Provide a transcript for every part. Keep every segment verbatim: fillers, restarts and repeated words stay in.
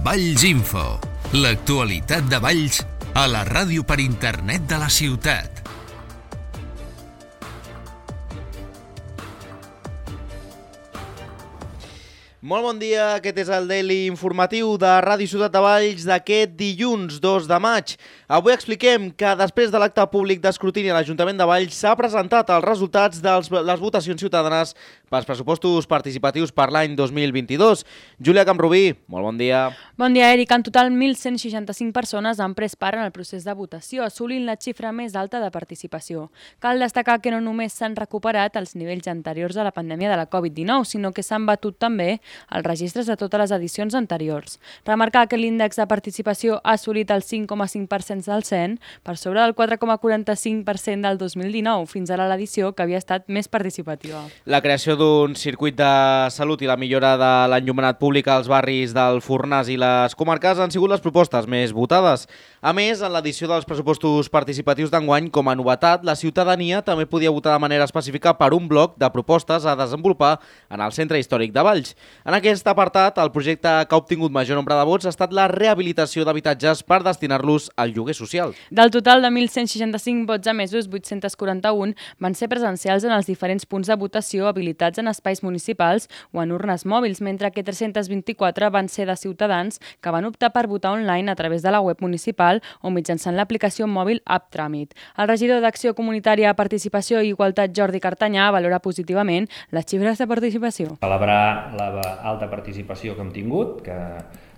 Valls Info, l'actualitat de Valls a la ràdio per internet de la ciutat. Molt bon dia, aquest és el Daily informatiu de Ràdio Ciutat de Valls d'aquest dilluns dos de maig. Avui expliquem que després de l'acte públic d'escrutini a l'Ajuntament de Valls s'ha presentat els resultats de les votacions ciutadanes pels pressupostos participatius per l'any dos mil vint-i-dos. Júlia Camprubí, molt bon dia. Bon dia, Eric. En total, mil cent seixanta-cinc persones han pres part en el procés de votació, assolint la xifra més alta de participació. Cal destacar que no només s'han recuperat els nivells anteriors a la pandèmia de la covid dinou, sinó que s'han batut també els registres de totes les edicions anteriors. Remarcar que l'índex de participació ha assolit el cinc coma cinc per cent del cent, per sobre del quatre coma quaranta-cinc per cent del dos mil dinou, fins ara l'edició que havia estat més participativa. La creació d'un circuit de salut i la millora de l'enllumenat públic als barris del Fornàs i les comarques han sigut les propostes més votades. A més, en l'edició dels pressupostos participatius d'enguany, com a novetat, la ciutadania també podia votar de manera específica per un bloc de propostes a desenvolupar en el centre històric de Valls. En aquest apartat, el projecte que ha obtingut major nombre de vots ha estat la rehabilitació d'habitatges per destinar-los al lloguer social. Del total de mil cent seixanta-cinc vots emesos, vuit-cents quaranta-un van ser presencials en els diferents punts de votació habilitats en espais municipals o en urnes mòbils, mentre que tres-cents vint-i-quatre van ser de ciutadans que van optar per votar online a través de la web municipal o mitjançant l'aplicació mòbil App Tràmit. El regidor d'Acció Comunitària, Participació i Igualtat, Jordi Cartanyà, valora positivament les xifres de participació. Celebrar la alta participació que hem tingut, que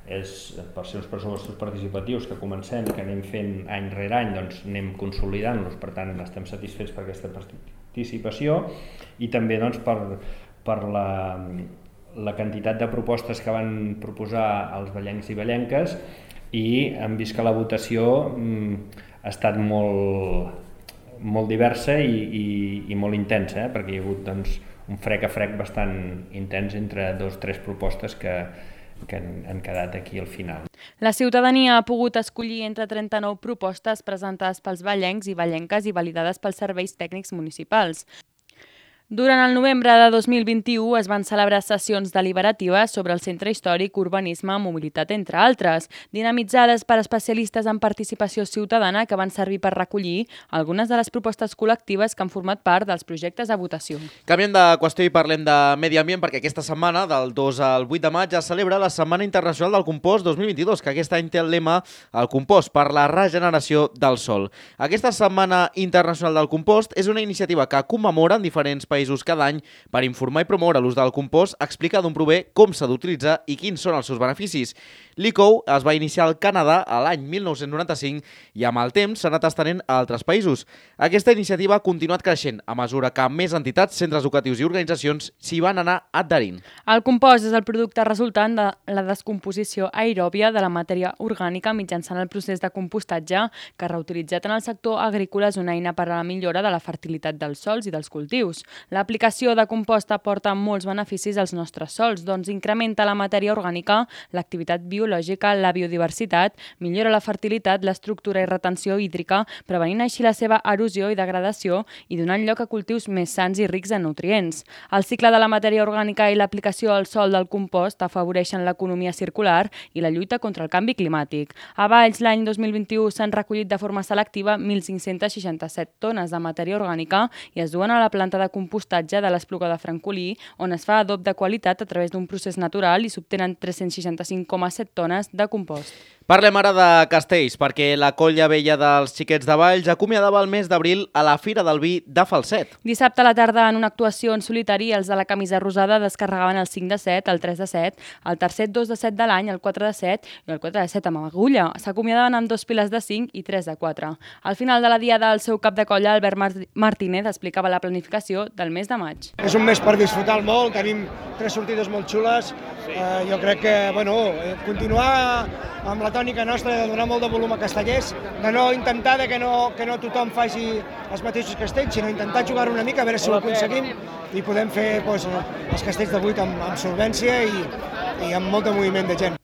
és per ser uns pressupostos participatius que comencem, que anem fent any rere any, doncs anem consolidant-los, per tant estem satisfets per aquesta participació i també doncs, per, per la, la quantitat de propostes que van proposar els vallencs i vallenques, i hem vist que la votació mm, ha estat molt, molt diversa i, i, i molt intensa, eh? perquè hi ha hagut doncs, un frec a frec bastant intens entre dos o tres propostes que, que han, han quedat aquí al final. La ciutadania ha pogut escollir entre trenta-nou propostes presentades pels vallencs i vallenques i validades pels serveis tècnics municipals. Durant el novembre de dos mil vint-i-u es van celebrar sessions deliberatives sobre el centre històric, urbanisme, mobilitat, entre altres, dinamitzades per especialistes en participació ciutadana que van servir per recollir algunes de les propostes col·lectives que han format part dels projectes a votació. Canviem de qüestió i parlem de medi ambient perquè aquesta setmana, del dos al vuit de maig, es celebra la Setmana Internacional del Compost dos mil vint-i-dos, que aquest any té el lema El compost per la regeneració del sòl. Aquesta Setmana Internacional del Compost és una iniciativa que commemora en diferents països països cada any per informar i promoure l'ús del compost, explicar d'on prové, com s'ha d'utilitzar i quins són els seus beneficis. L'E C O es va iniciar al Canadà a l'any mil nou-cents noranta-cinc i amb el temps s'ha anat estenent a altres països. Aquesta iniciativa ha continuat creixent a mesura que més entitats, centres educatius i organitzacions s'hi van anar adherint. El compost és el producte resultant de la descomposició aeròbia de la matèria orgànica mitjançant el procés de compostatge que, reutilitzat en el sector agrícola, és una eina per a la millora de la fertilitat dels sòls i dels cultius. L'aplicació de compost aporta molts beneficis als nostres sòls, doncs incrementa la matèria orgànica, l'activitat biològica, la biodiversitat, millora la fertilitat, l'estructura i retenció hídrica, prevenint així la seva erosió i degradació i donant lloc a cultius més sans i rics en nutrients. El cicle de la matèria orgànica i l'aplicació al sòl del compost afavoreixen l'economia circular i la lluita contra el canvi climàtic. A Valls, l'any dos mil vint-i-u s'han recollit de forma selectiva mil cinc-cents seixanta-set tones de matèria orgànica i es duen a la planta de compostatge de l'Espluga de Francolí, on es fa adob de qualitat a través d'un procés natural i s'obtenen tres-cents seixanta-cinc coma set tones de compost. Parlem ara de castells, perquè la Colla Vella dels Xiquets de Valls acomiadava el mes d'abril a la Fira del Vi de Falset. Dissabte a la tarda, en una actuació en solitari, els de la camisa rosada descarregaven el cinc de set, el tres de set, el tercer dos de set de l'any, el quatre de set i el quatre de set amb agulla. S'acomiadaven amb dos piles de cinc i tres de quatre. Al final de la diada, el seu cap de colla, Albert Martínez, explicava la planificació del mes de maig. És un mes per disfrutar molt, tenim tres sortides molt xules. Eh, jo crec que, bueno, continuar amb la tònica nostra de donar molt de volum a castellers, de no intentar de que, no, que no tothom faci els mateixos castells, sinó intentar jugar una mica, a veure si ho aconseguim i podem fer doncs, els castells de vuit amb, amb solvència i, i amb molt de moviment de gent.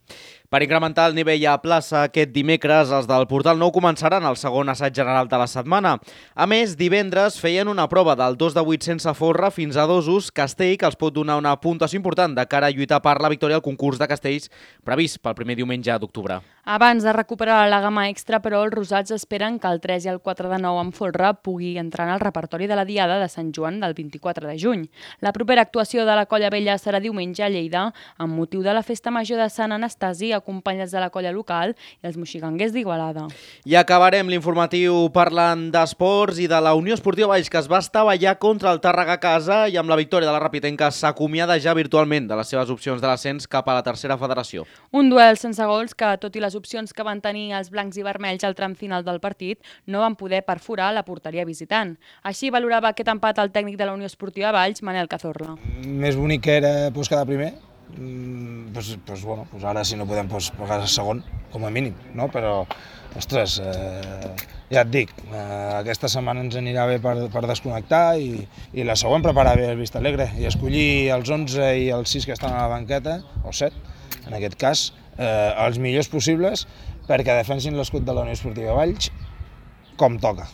Per incrementar el nivell a plaça aquest dimecres, els del Portal Nou començaran el segon assaig general de la setmana. A més, divendres feien una prova del dos de vuit sense folre fins a dosos castell que els pot donar una puntuació important de cara a lluitar per la victòria al concurs de castells previst pel primer diumenge d'octubre. Abans de recuperar la gamma extra, però, els rosats esperen que el tres i el quatre de nou amb folre pugui entrar en el repertori de la Diada de Sant Joan del vint-i-quatre de juny. La propera actuació de la Colla Vella serà diumenge a Lleida amb motiu de la Festa Major de Sant Anastasi, acompanyats de la colla local i els moxiganguers d'Igualada. I acabarem l'informatiu parlant d'esports i de la Unió Esportiva Valls, que es va estavellar contra el Tàrrega a casa i amb la victòria de la Rapitenca s'acomiada ja virtualment de les seves opcions de l'ascens cap a la tercera federació. Un duel sense gols que, tot i les opcions que van tenir els blancs i vermells al tram final del partit, no van poder perforar la porteria visitant. Així valorava aquest empat el tècnic de la Unió Esportiva Valls, Manel Cazorla. Més bonic que era pues, quedar primer. Mm, pues, pues, bueno, pues ara si no podem pues, pagar segon, com a mínim, no? Però, ostres, eh, ja et dic, eh, aquesta setmana ens anirà bé per, per desconnectar i, i la següent preparar bé el Vista Alegre i escollir els onze i els sis que estan a la banqueta, o set, en aquest cas, eh, els millors possibles perquè defensin l'escut de la Unió Esportiva Valls com toca.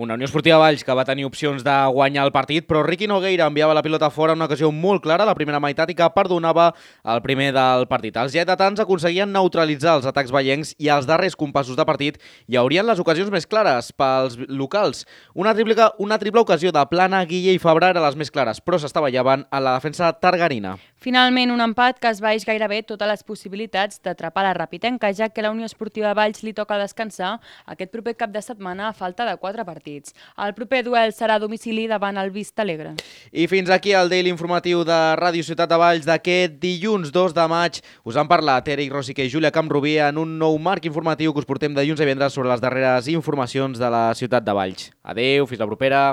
Una Unió Esportiva Valls que va tenir opcions de guanyar el partit, però Riqui Nogueira enviava la pilota fora en una ocasió molt clara a la primera meitat i que perdonava el primer del partit. Els lleidatans aconseguien neutralitzar els atacs vallencs i als darrers compassos de partit hi haurien les ocasions més clares pels locals. Una triple, una triple ocasió de Plana, Guille i Fabra eren les més clares, però s'estavellaven a la defensa targarina. Finalment, un empat que es baix gairebé totes les possibilitats d'atrapar la Rapitenca, ja que la Unió Esportiva Valls li toca descansar aquest proper cap de setmana a falta de quatre partits. El proper duel serà a domicili davant el Vista Alegre. I fins aquí el Daily Informatiu de Ràdio Ciutat de Valls d'aquest dilluns dos de maig. Us han parlat Eric Rosique i Júlia Camprubí en un nou marc informatiu que us portem dilluns a divendres sobre les darreres informacions de la Ciutat de Valls. Adéu, fins la propera.